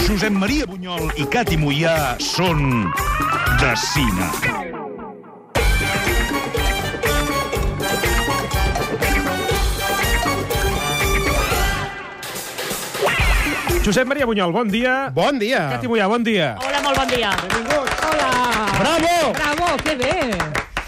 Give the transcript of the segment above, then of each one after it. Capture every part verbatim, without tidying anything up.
Josep Maria Bunyol i Cati Moià són de cine. Josep Maria Bunyol, bon dia. Bon dia. Cati Moià, bon dia. Hola, molt bon dia. Benvinguts. Hola. Bravo! Bravo, que bé.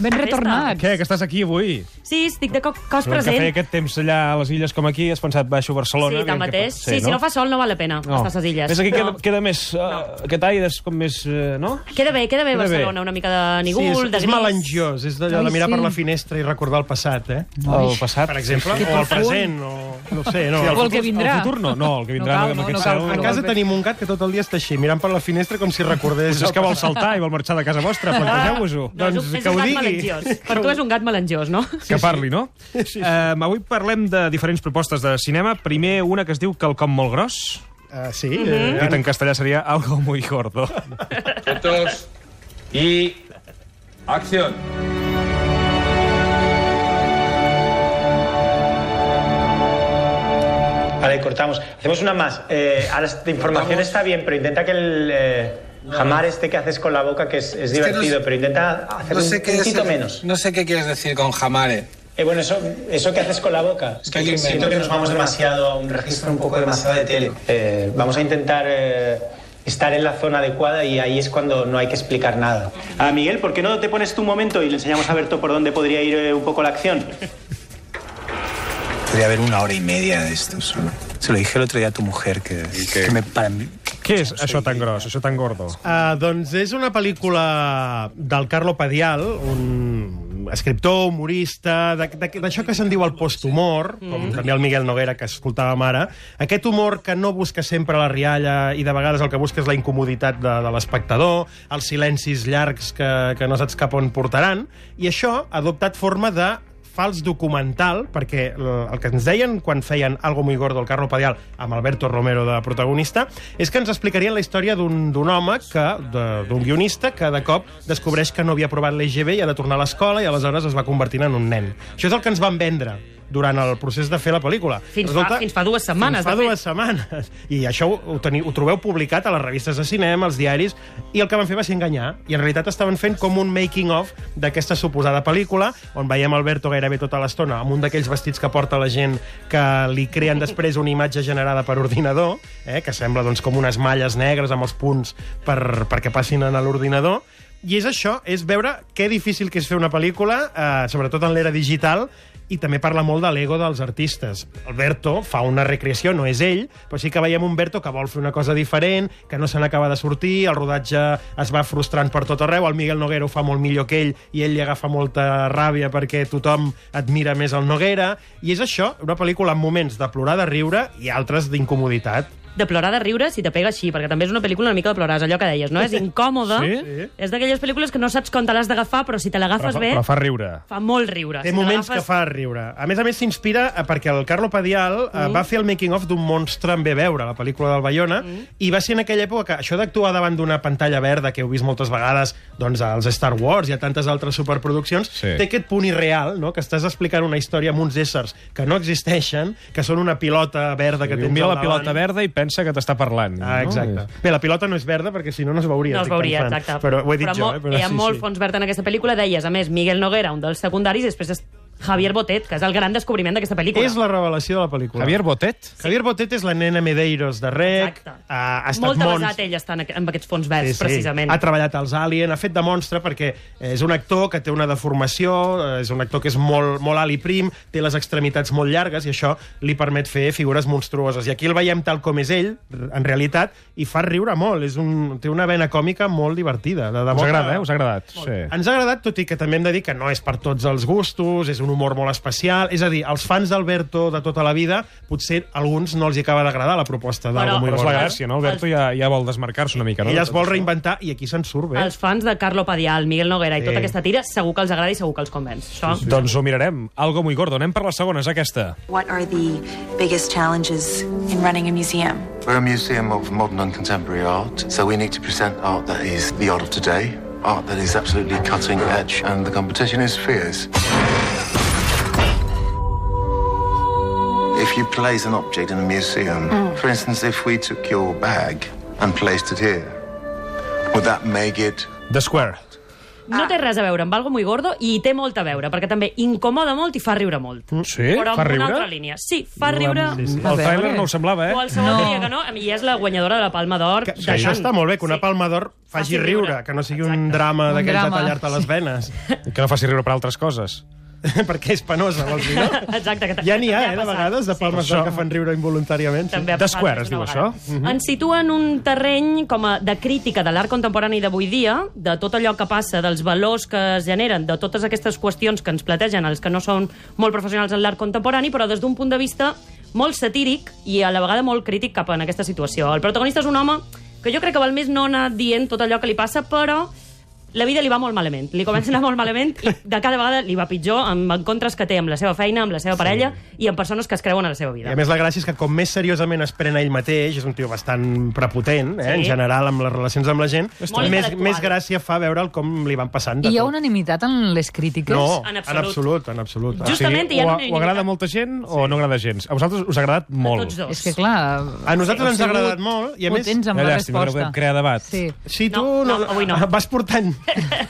Ben retornats. Què, que estàs aquí avui? Sí, estic de co cos El present. que feia aquest temps allà a les illes com aquí, has pensat, baixo a Barcelona... Sí, tanmateix. Sí, sí, si no fa sol no val la pena estar a les illes. Ves aquí no. queda, queda més... Uh, aquest aire és com més... Uh, no? Queda bé, queda bé Queda Barcelona, bé. una mica de nigul, Sí, és, de és gris. melangiós, és d'allò de Ai, mirar sí. per la finestra i recordar el passat, eh? El passat. Per exemple, Que o el profund. present, o... No ho sé, no. O el que vindrà. El futur no, no, el que vindrà No no, cal, amb no, aquest no cal. cel... A casa tenim un gat que tot el dia està així, mirant per la finestra com si recordés... Potser és que vol saltar i vol marxar de casa vostra, plantegeu-vos-ho. No, és, Doncs un- és que un ho gat digui. melangiós. Per tu és un gat melangiós, no? Que parli, no? Sí, sí. Uh, avui parlem de diferents propostes de cinema. Primer, una que es diu Quelcom molt gros. Uh, sí, Mhm. eh, Dit en castellà seria Algo muy gordo. Fotos y acción. Vale, cortamos. Hacemos una más. Eh, ahora esta información está bien, pero intenta que el eh, jamar este que haces con la boca, que es, es que no divertido, sé- pero intenta hacer No un sé, qué poquito es- menos. no sé qué quieres decir con jamare. Eh, bueno, eso, eso que haces con la boca. Es que ¿Qué siento invento? que nos vamos demasiado a un registro un poco demasiado de tele. Eh, vamos a intentar eh, estar en la zona adecuada y ahí es cuando no hay que explicar nada. Ah, Miguel, ¿por qué no te pones tú un momento y le enseñamos a Berto por dónde podría ir eh, un poco la acción? Podría haber una hora y media de esto solo. Se lo dije el otro día a tu mujer, que, que me... Para mí... Què és això tan gros, això tan gordo? Uh, doncs és una pel·lícula del Carlo Padial, un escriptor, humorista, de- de- d'això que se'n diu el posthumor, com també el Miguel Noguera, que escoltàvem ara. Aquest humor que no busca sempre la rialla i de vegades el que busca és la incomoditat de, de l'espectador, els silencis llargs que, que no saps cap on portaran, i això ha adoptat forma de fals documental, perquè el el que ens deien quan feien Algo muy gordo el Carlo Padial amb Alberto Romero de protagonista és que ens explicarien la història d'un d'un home, que de- d'un guionista que de cop descobreix que no havia aprovat l'E G B i ha de tornar a l'escola i aleshores es va convertint en un nen. Això és el que ens van vendre durant el procés de fer la pel·lícula. Fins fa- fins fa dues setmanes, Fins fa de fet. dues setmanes. I això ho, ho, teniu, ho trobeu publicat a les revistes de cinema, als diaris, i el que van fer va ser enganyar. I en realitat estaven fent com un making-of d'aquesta suposada pel·lícula, on veiem Alberto gairebé tota l'estona amb un d'aquells vestits que porta la gent que li creen després una imatge generada per ordinador, eh, que sembla doncs, com unes malles negres amb els punts per, perquè passin a l'ordinador. I és això, és veure que difícil que és fer una pel·lícula, eh, sobretot en l'era digital, i també parla molt de l'ego dels artistes. Alberto fa una recreació, no és ell, però sí que veiem un Berto que vol fer una cosa diferent, que no se n'acaba de sortir, el rodatge es va frustrant per tot arreu, el Miguel Noguera ho fa molt millor que ell i ell li agafa molta ràbia perquè tothom admira més el Noguera, i és això, una pel·lícula amb moments de plorar, de riure i altres d'incomoditat. De plorar de riure si te pega així, perquè també és una pel·lícula una mica de plorar, és allò que deies, no? És incòmode. Sí? És d'aquelles pel·lícules que no saps com te l'has d'agafar, però si te Però, l'agafes fa- bé, però fa riure. fa molt riure. Té Si te moments que l'agafes- fa riure. A més a més, s'inspira eh, perquè el Carlo Padial eh, va fer el making-of d'un monstre en bé veure, la pel·lícula del Bayona, i va ser en aquella època que això d'actuar davant d'una pantalla verda, que heu vist moltes vegades doncs, als Star Wars i a tantes altres superproduccions, Sí. té aquest punt irreal, no? Que estàs explicant una història amb uns éssers que no existeixen, que són una pilota verda que Que tens mira al la davant. pilota verda i pensa que t'està parlant. Ah, exacte. No? Bé, la pilota no és verda perquè si no no es veuria. No es estic veuria, pensant. exacte. Però ho he dit però jo, mo- eh? Però hi ha sí, molt sí. fons verd en aquesta pel·lícula. Deies, a més, Miguel Noguera, un dels secundaris, i després és Javier Botet, que és el gran descobriment d'aquesta pel·lícula. És la revelació de la pel·lícula. Javier Botet? Javier Botet és la nena Medeiros de Rec. Exacte. Ha, ha estat Molt mons... avasat ell està en, aqu- amb aquests fons verds, precisament. Ha treballat als Alien, ha fet de monstre perquè és un actor que té una deformació, és un actor que és molt, molt alt i prim, té les extremitats molt llargues i això li permet fer figures monstruoses. I aquí el veiem tal com és ell, en realitat, i fa riure molt. És un, té una vena còmica molt divertida. De, de Us molta- agrada, eh? Us ha agradat? Sí. Ens ha agradat, tot i que també hem de dir que no és per tots els gustos, és un humor molt especial. És a dir, als fans d'Alberto de tota la vida, potser a alguns no els hi acaba d'agradar la proposta Però- d'Algo muy Però és la gordo. gràcia, no? Alberto ja, ja vol desmarcar-se una mica, no? Ella es vol reinventar i aquí se'n surt bé. Els fans de Carlo Padial, Miguel Noguera i Sí. tota aquesta tira, segur que els agrada i segur que els convenç. Això... Doncs ho mirarem. Algo muy gordo. Anem per la segona, és aquesta. What are the biggest challenges in running a museum? We're a museum of modern and contemporary art, so we need to present art that is the art of today, art that is absolutely cutting edge, and the competition is fierce. If you place an object in a museum, for instance, if we took your bag and placed it here. Would that make it... The Square. No té res a veure amb Algo muy gordo i hi té molt a veure, perquè també incomoda molt i fa riure molt. Sí? Però Fa amb riure? una altra línia. Sí, fa riure... Sí, sí. El trailer no ho semblava, eh? Qualsevol No. diria que no, i és la guanyadora de la Palma d'Or. Que, que això està molt bé, que una Palma d'Or faci riure, que no sigui un drama Un d'aquells de drama. tallar-te les venes. Que no faci riure per altres coses. Perquè és penosa, vols dir, no? Exacte. Que Ja n'hi ha, també eh, de passat. vegades, de Palmes d'Or que fan riure involuntàriament. També ha The passat Square, més es diu d'una això? vegada. Ens situa en un terreny com a de crítica de l'art contemporani d'avui dia, de tot allò que passa, dels valors que es generen, de totes aquestes qüestions que ens plategen els que no són molt professionals en l'art contemporani, però des d'un punt de vista molt satíric i a la vegada molt crític cap en aquesta situació. El protagonista és un home que jo crec que val més no anar dient tot allò que li passa, però la vida li va molt malament. Li comença a anar molt malament i de cada vegada li va pitjor amb encontres que té amb la seva feina, amb la seva parella i amb persones que es creuen a la seva I vida. a més la gràcia és que com més seriosament es pren ell mateix, és un tio bastant prepotent, eh, Sí. en general, amb les relacions amb la gent, Molt més, intel·lectual. més gràcia fa veure'l com li van passant de I hi ha tot. unanimitat en les crítiques? No, En en absolut. absolut, en absolut. Justament o, hi ha o, unanimitat. o agrada molta gent o no agrada gens. A vosaltres us ha agradat molt. Tots dos. És que, clar... A nosaltres heu ens ha sigut agradat molt i a més... potents amb Una la llàstima, no resposta. podem crear debat. Sí. Sí, tu No, no, avui no. vas portant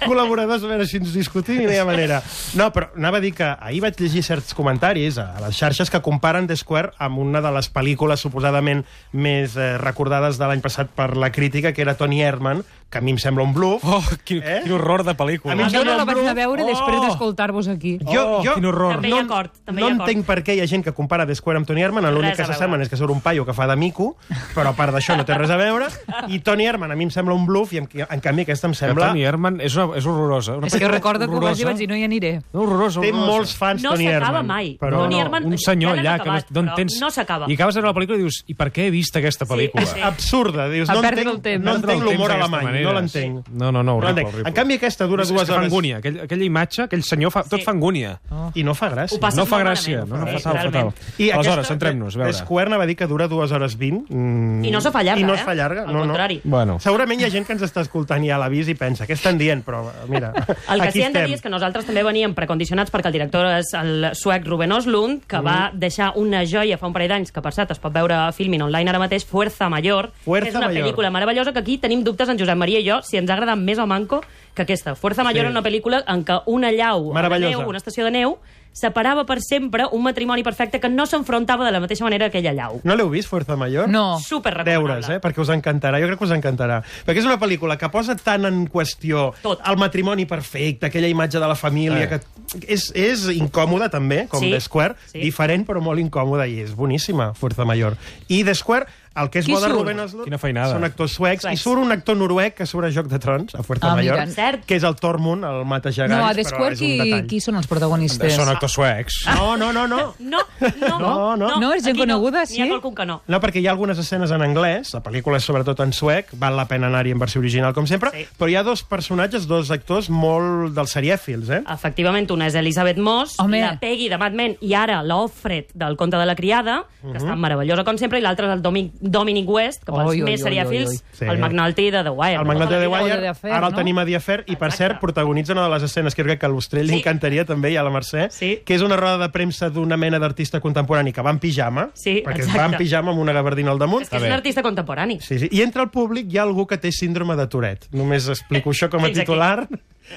col·laboradors a veure si ens discutim i no hi ha manera. No, però anava a dir que ahir vaig llegir certs comentaris a les xarxes que comparen The Square amb una de les pel·lícules suposadament més eh, recordades de l'any passat per la crítica, que era Tony Erdmann, que a mi em sembla un bluff. Oh, quin, Eh? quin horror de pel·lícula. A mi em Jo no sembla la un vaig anar a bluff. veure Oh! després d'escoltar-vos aquí. Jo, Oh, jo quin horror. També hi ha acord, també no hi ha acord. entenc per què hi ha gent que compara The Square amb Tony Erdmann, l'únic Res que a veure. s'assemblen és que surt un paio que fa de mico, però a part d'això no té res a veure, i Tony Erdmann a mi em sembla un bluff, i en, en canvi aquesta em Que sembla... Tony Erdmann és, una, és horrorosa. Una És que pel·lícula recordo que ho vaig dir i vaig horrorosa. dir no hi aniré. No, horrorosa, Té horrorosa. molts fans, No Tony s'acaba Erdmann. mai. Però Tony no. Erdmann- Un senyor ja l'hem allà que acabat, no, no però entens... no s'acaba. I acabes de veure la pel·lícula i dius, i per què he vist aquesta pel·lícula? sí. Absurda, dius, A no perdre entenc, el temps. no Perdre el entenc l'humor temps d'aquesta alemany, manera. no l'entenc. No, no, no, No horrible, l'entenc. horrible. En canvi aquesta dura És, dues és que fa hores... angúnia. Aquell, aquella imatge, aquell senyor, fa, tot fa angúnia. I no fa gràcia. Ho passes No fa molt gràcia. malament. No, no, Sí, fatal, fatal. realment. I Aleshores, aquesta, centrem-nos, a The veure. Square va dir que dura dues hores vint. Mm, I no se fa llarga, I no es eh? fa llarga. Al no, contrari. No. Bueno. Segurament hi ha gent que ens està escoltant ja a l'avís i pensa, què estan dient? Però, mira, El que aquí sí hem de estem. dir és que nosaltres també veníem precondicionats perquè el director és el suec Ruben Östlund, que va deixar una joia fa un parell d'anys, que per cert es pot veure a Filmin online ara mateix, Fuerza Mayor. Fuerza és una Mayor. pel·lícula meravellosa que aquí tenim dubtes en Josep Maria i jo si ens ha agradat més o manco que aquesta. Fuerza Mayor Sí. és una pel·lícula en què una llau de Meravellosa. neu, una estació de neu, separava per sempre un matrimoni perfecte que no s'enfrontava de la mateixa manera que aquella llau. No l'heu vist, Fuerza Mayor? No. Super recomanable. Deures, eh? Perquè us encantarà. Jo crec que us encantarà. Perquè és una pel·lícula que posa tant en qüestió Tot. el matrimoni perfecte, aquella imatge de la família, Eh. que és, és incòmoda també, com Sí. The Square, Sí. diferent però molt incòmoda, i és boníssima, Fuerza Mayor. I The Square, el que és Qui bo de surt? Ruben Östlund Quina feinada. són actors suecs, Suecs. i surt un actor noruec que surt a Joc de Trons, a Fuerza Ah, Mayor, mira. Cert. que és el Tormund, el mata gegants, No, a The però Square és un qui, detall. qui són els protagonistes? Són actors suecs. No, no, no, no. No, no, No, no. No, és gent aquí coneguda, no. sí? N'hi ha qualcun que no. No, perquè hi ha algunes escenes en anglès, la pel·lícula és sobretot en suec, val la pena anar-hi en versió original, com sempre, Sí. però hi ha dos personatges, dos actors molt dels serièfils, eh? Efectivament, una és Elisabeth Moss, Home. la Peggy de Mad Men, i ara l'Offred del Conte de la Criada, que està meravellosa com sempre, i l'altre és el Dominic, Dominic West, que pels Oi, oi, més oi, oi, serièfils, oi. Sí. el McNulty de The Wire. El Magnate de O de Wire, The Affair, ara el no? tenim a The Affair, i per Exacte. cert, protagonitza una de les escenes que jo crec que a l'Ostrell li Sí. encantaria també, i a la Mercè, Sí. que és una roda de premsa d'una mena d'artista contemporani que va en pijama, Sí, perquè exacte. va en pijama amb una gabardina al damunt. És que és un artista contemporani. Sí, sí. I entre el públic hi ha algú que té síndrome de Tourette. Només explico això com a Fins aquí. titular.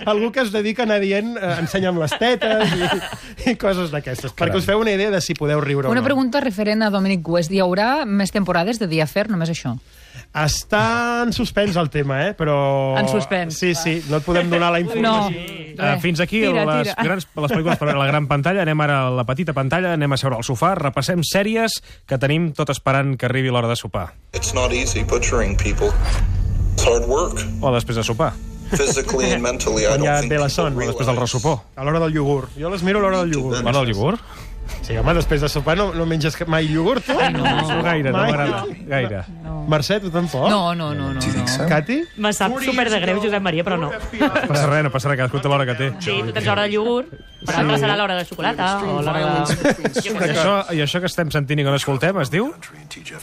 Algú que es dedica a anar dient eh, ensenya'm les tetes i, i coses d'aquestes, perquè us feu una idea de si podeu riure Una o no. pregunta referent a Dominic West. Hi haurà més temporades de The Affair, només això? Està en suspens el tema, eh? Però... En suspens. Sí, sí, no et podem donar la No. informació. Uh, fins aquí Tira, les, tira. grans, les pel·lícules per veure a la gran pantalla. Anem ara a la petita pantalla, anem a seure al sofà, repassem sèries que tenim tot esperant que arribi l'hora de sopar. It's not easy butchering people. It's hard work. O després de sopar. Physically and mentally, I Quan don't ja think ve la people son, O després del realize. ressopó. A l'hora del iogurt. Jo les miro a l'hora del iogurt. L'hora del iogurt? Sí, home, després de sopar no, no menges mai iogurt, tu? No, no gaire, no Mai. m'agrada. Gaire. No. Mercè, tu tampoc? No, no, no, no. no. Cati? Me sap super de greu, Josep Maria, però no. No passa res, no passa res, cadascú té l'hora que té. Sí, tu tens l'hora del iogurt, per altres serà l'hora de xocolata o l'hora de... Jo I què sé. això, I això que estem sentint i que no escoltem es diu?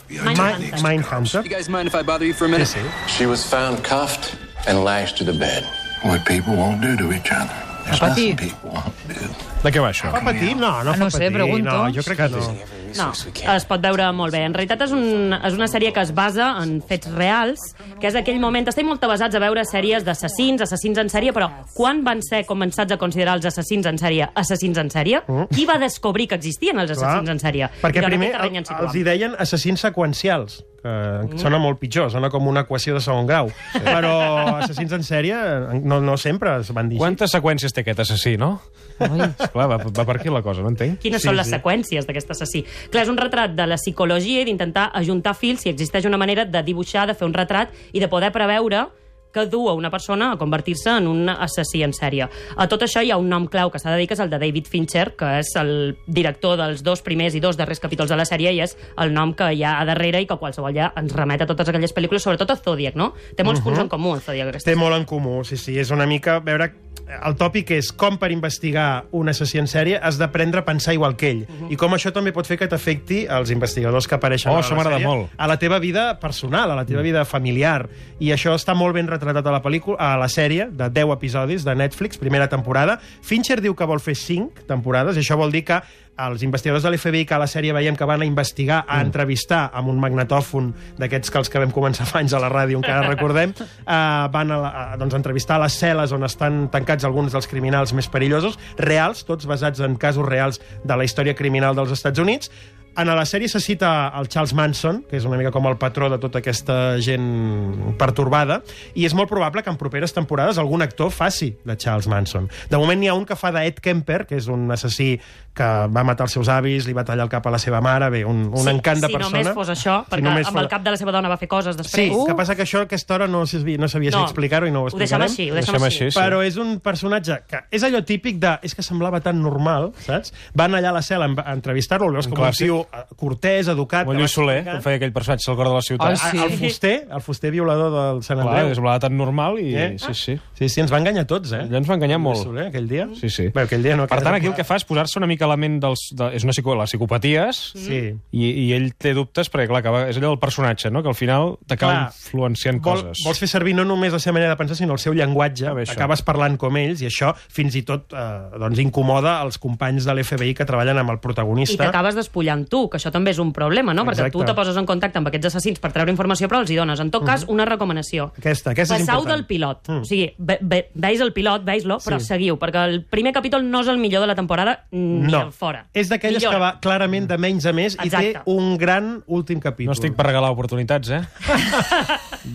Mindhunter. Mindhunter. You guys mind if I bother you for a minute? Sí, sí. She was found cuffed and lashed to the bed. What people won't do to each other. There's Patir. nothing people won't do. De què va això? Fa patir? No, no Ah, fa no sé, patir. pregunto. No, jo crec que no. No, es pot veure molt bé. En realitat és, un, és una sèrie que es basa en fets reals, que és aquell moment... Estem molt basats a veure sèries d'assassins, assassins en sèrie, però quan van ser començats a considerar els assassins en sèrie assassins en sèrie? Mm. Qui va descobrir que existien els assassins Clar. en sèrie? Perquè primer el, els hi deien assassins seqüencials, que mm. sona molt pitjor, sona com una equació de segon grau. Sí. Però assassins en sèrie no, no sempre es van dir així. Quantes seqüències té aquest assassí, no? Esclar, va, va per aquí la cosa, no entenc? Quines sí, són les sí. seqüències d'aquest assassí? Clar, és un retrat de la psicologia i d'intentar ajuntar fils si existeix una manera de dibuixar, de fer un retrat i de poder preveure que du a una persona a convertir-se en un assassí en sèrie. A tot això hi ha un nom clau que s'ha de dir, que és el de David Fincher, que és el director dels dos primers i dos darrers capítols de la sèrie, i és el nom que hi ha a darrere i que qualsevol ja ens remet a totes aquelles pel·lícules, sobretot a Zodiac, no? Té molts uh -huh. punts en comú, el Zodiac. Té molt en comú, sí, sí. És una mica... veure, el tòpic és com per investigar un assassí en sèrie has d'aprendre a pensar igual que ell. Uh -huh. I com això també pot fer que t'afecti els investigadors que apareixen oh, a la sèrie, molt. a la teva vida personal, a la teva vida familiar. I això està molt ben retratat a la pel·lícula, a la sèrie, de deu episodis de Netflix, primera temporada. Fincher diu que vol fer cinc temporades, i això vol dir que els investigadors de l'F B I, que a la sèrie veiem que van a investigar, a entrevistar amb un magnetòfon d'aquests que els que vam començar fa anys a la ràdio, encara recordem, eh, van a, la, a doncs, entrevistar a les cel·les on estan tancats alguns dels criminals més perillosos, reals, tots basats en casos reals de la història criminal dels Estats Units. En la sèrie se cita el Charles Manson, que és una mica com el patró de tota aquesta gent pertorbada, i és molt probable que en properes temporades algun actor faci de Charles Manson. De moment n'hi ha un que fa d'Ed Kemper, que és un assassí que va matar els seus avis, li va tallar el cap a la seva mare, bé, un, un sí, encant de si persona. Si només fos això, perquè si amb el cap de la seva dona va fer coses després. Sí, uh. que passa que això a aquesta hora no, no sabia si no, explicar-ho i no ho explicarem. Ho deixem així, ho deixem, deixem així. així sí. Però és un personatge que és allò típic de... És que semblava tan normal, saps? Van allà a la cel·la a entrevistar-lo, el veus com un tio cortès, educat... Com Lluís Soler, que feia aquell personatge al cor de la ciutat. Oh, sí. El fuster, el fuster violador del Sant Andreu. Clar, semblava tan normal i... Eh? Sí, sí. Sí, sí, ens va enganyar tots, eh? Ja ens va enganyar molt. Soler, aquell dia. Sí, sí. Bé, aquell dia no... Per tant, aquí el que fa és posar-se una mica a la ment dels... De, és una psico, les psicopaties, sí. i, i ell té dubtes, perquè, clar, que és allò del personatge, no?, que al final t'acaba influenciant vol, coses. Vols fer servir no només la seva manera de pensar, sinó el seu llenguatge. Ah, acabes parlant com ells, i això fins i tot eh, doncs, incomoda els companys de l'F B I que treballen amb el protagonista. I t'acabes despullant tu, que això també és un problema, no? Exacte. Perquè tu te poses en contacte amb aquests assassins per treure informació, però els hi dones. En tot cas, una recomanació. Aquesta, aquesta és Passau important. del pilot. Mm. O sigui, ve, ve, veis el pilot, veis-lo, però sí. seguiu, perquè el primer capítol no és el millor de la temporada ni no. fora. És d'aquelles que va clarament de menys a més. Exacte. I té un gran últim capítol. No estic per regalar oportunitats, eh?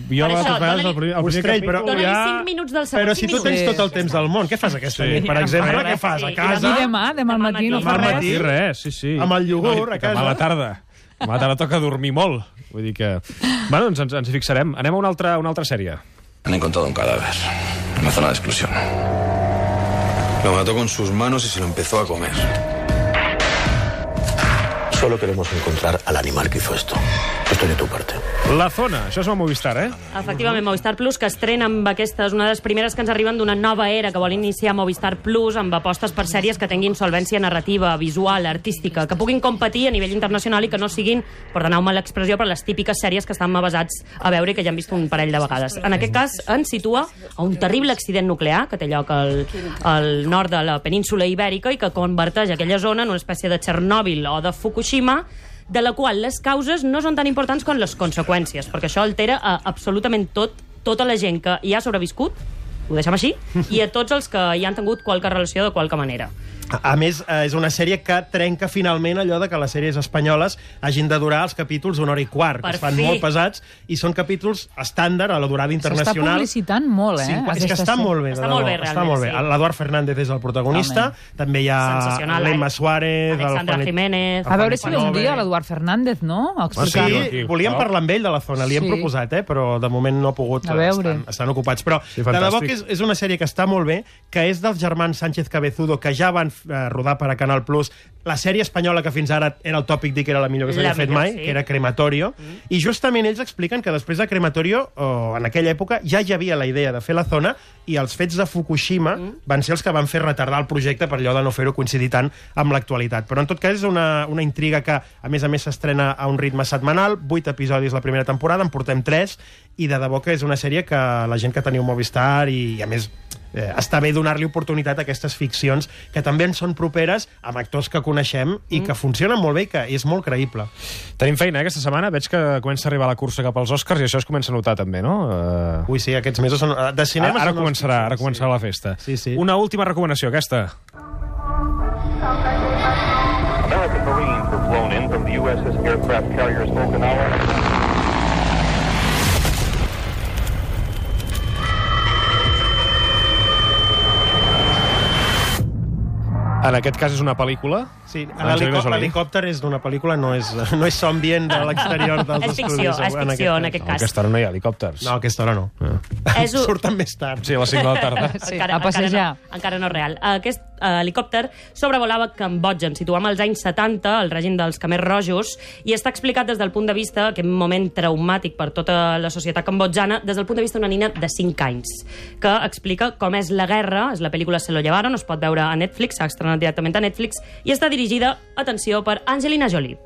Jo per això, dona-li però... ja... cinc minuts del segon. Però si tu tens tot el temps del món, què fas aquesta sí. nit, per exemple? Què fas, a casa? I demà, demà al matí no fa res. Demà res, sí, sí. Amb el iogurt, a casa. Demà a la tarda. Demà a la tarda toca dormir molt. Vull dir que... Bueno, doncs ens, ens hi fixarem. Anem a una altra, una altra sèrie. Han encontrado un cadáver en la zona de exclusión. Lo mató con sus manos y se lo empezó a comer. Solo queremos encontrar al animal que hizo esto. Estoy de tu parte. La Zona, això és el Movistar, eh? Efectivament, Movistar Plus, que estrena amb aquestes, una de les primeres que ens arriben d'una nova era que vol iniciar Movistar Plus amb apostes per sèries que tinguin solvència narrativa, visual, artística, que puguin competir a nivell internacional i que no siguin, perdoneu-me l'expressió, però les típiques sèries que estan basats a veure i que ja hem vist un parell de vegades. En aquest cas, ens situa a un terrible accident nuclear que té lloc al, al nord de la península Ibèrica i que converteix aquella zona en una espècie de Txernòbil o de Fukushima, de la qual les causes no són tan importants com les conseqüències, perquè això altera a absolutament tot, tota la gent que hi ha sobreviscut, ho deixem així, i a tots els que hi han tingut qualque relació de qualque manera. A, a més, és una sèrie que trenca finalment allò de que les sèries espanyoles hagin de durar els capítols una hora i quart, per que es fan fi. molt pesats, i són capítols estàndard a la durada internacional. S'està publicitant molt, eh? Sí, és que està molt bé. Està molt bé, realment, està molt bé. sí. L'Eduard Fernández és el protagonista, Realment. també hi ha l'Emma Suárez, Alexandra el Jiménez... A veure si ve un dia l'Eduard Fernández, no? A explicar-ho. Sí, volíem parlar amb ell de la Zona, li hem Sí. proposat, eh? Però de moment no ha pogut, A veure. estan, estan ocupats. Però Sí, de debò fantàstic. que és, és una sèrie que està molt bé, que és dels germans Sánchez Cabezudo, que ja van eh, rodar per a Canal Plus la sèrie espanyola que fins ara era el tòpic dir que era la millor que s'havia La fet millor, mai, sí. que era Crematorio, mm. i justament ells expliquen que després de Crematorio, o en aquella època, ja hi havia la idea de fer la Zona, i els fets de Fukushima mm. van ser els que van fer retardar el projecte per allò de no fer-ho coincidir tant amb l'actualitat. Però en tot cas és una, una intriga que, a més a més, s'estrena a un ritme setmanal, vuit episodis la primera temporada, en portem tres, i de debò que és una sèrie que la gent que teniu Movistar i, i a més, eh, està bé donar-li oportunitat a aquestes ficcions que també en són properes amb actors que coneixem i que funcionen molt bé i que és molt creïble. Tenim feina, eh, aquesta setmana. Veig que comença a arribar la cursa cap als Oscars i això es comença a notar també, no? Uh... Ui, sí, aquests mesos són... De cinema ara, ara són començarà, els... ara començarà la festa. Sí, sí. Una última recomanació, aquesta. American Marines were flown in from the U S S aircraft carriers Okinawa. En aquest cas és una pel·lícula? Sí, l'helicòpter és d'una pel·lícula, no és, no és ambient de l'exterior dels és ficció, estudis. és ficció, en aquest cas. No, a aquesta hora no hi ha helicòpters. No, a aquesta hora no. Ah. És un... Surten més tard. Sí, a les cinc de la tarda. Sí, a passejar. Encara no, encara no és real. Aquest uh, helicòpter sobrevolava Cambodja, ens situem als anys setanta, el règim dels Khmers Rojos, i està explicat des del punt de vista, aquest moment traumàtic per tota la societat cambodjana, des del punt de vista d'una nina de cinc anys, que explica com és la guerra. És la pel·lícula Se lo llevaron, es pot veure a Netflix, s'ha estrenat directament a Netflix, i està dirigida, atenció, per Angelina Jolie,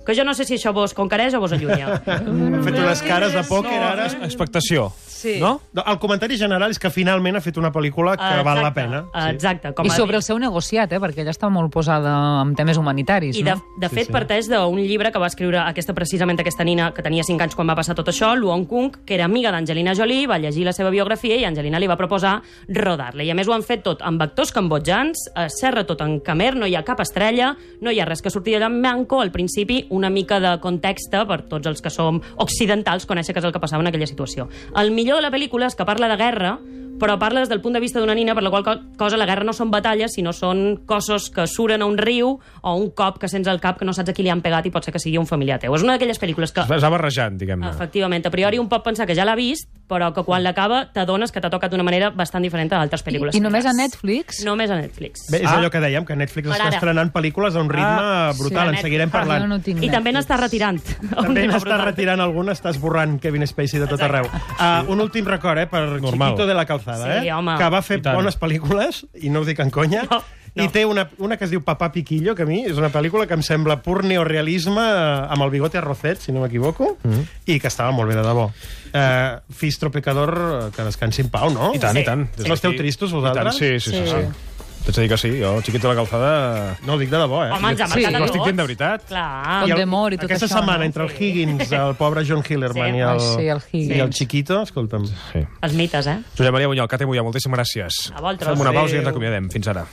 que jo no sé si això vos conquereix o vos allunya. Han fet unes cares de pòquer, no, ara. Expectació. Sí. No? El comentari general és que finalment ha fet una pel·lícula que Exacte, val la pena. Exacte. Com I sobre el seu negociat, eh, perquè ella està molt posada en temes humanitaris. I de, no? de fet Sí, sí. parteix d'un llibre que va escriure aquesta, precisament aquesta nina que tenia cinc anys quan va passar tot això, Luong Kung, que era amiga d'Angelina Jolie, va llegir la seva biografia i Angelina li va proposar rodar-la. I a més ho han fet tot amb actors cambodjans, eh, serra tot en khmer, no hi ha cap estrella, no hi ha res que surti allà en blanco, al principi una mica de context per tots els que som occidentals conèixer què és el que passava en aquella situació. El millor de la pel·lícula és que parla de guerra, però parla des del punt de vista d'una nina, per la qual cosa la guerra no són batalles, sinó són cossos que suren a un riu o un cop que sents al cap que no saps a qui li han pegat i pot ser que sigui un familiar teu. És una d'aquelles pel·lícules que... Es va barrejant, diguem-ne. Efectivament, a priori un pot pensar que ja l'ha vist, però que quan l'acaba t'adones que t'ha tocat d'una manera bastant diferent a altres pel·lícules. I, i només a Netflix? Només a Netflix. Bé, és Ah. allò que dèiem, que Netflix Per està ara. estrenant pel·lícules a un ritme Ah, brutal, sí, en seguirem Ah, parlant. jo no tinc I també Netflix. n'està retirant. També n'està retirant algun, està esborrant Kevin Spacey de tot arreu. Uh, un últim record, eh, per Normal. Chiquito de la Calzada, Sí, eh, home. que va fer I tant. bones pel·lícules, i no ho dic en conya, No, no. i té una, una que es diu Papá Piquillo, que a mi és una pel·lícula que em sembla pur neorealisme, eh, amb el bigote arrocet, si no m'equivoco, mm -hmm. i que estava molt bé de debò. Uh, Fistro Pecador, que descansi en pau, no? I tant, Sí. i tant. No esteu tristos, vosaltres? I tant, sí, sí, sí. sí. sí. T'haig de dir que sí, jo, Chiquito de la Calzada... No, ho dic de debò, eh? Home, ens ha Sí. marcat a No tots. estic dient de veritat. Clar. Con I el- Demor i tot aquesta això, setmana, no? entre el Higgins, el pobre John Hillerman Sí. i, el, Ai, sí, el Higgins. i el Chiquito, escolta'm. Sí. Els mites, eh? Josep Maria Bunyol, Cate Mollà, moltíssimes gràcies. A vosaltres. Fem una pausa i ens Adéu. acomiadem. Fins ara.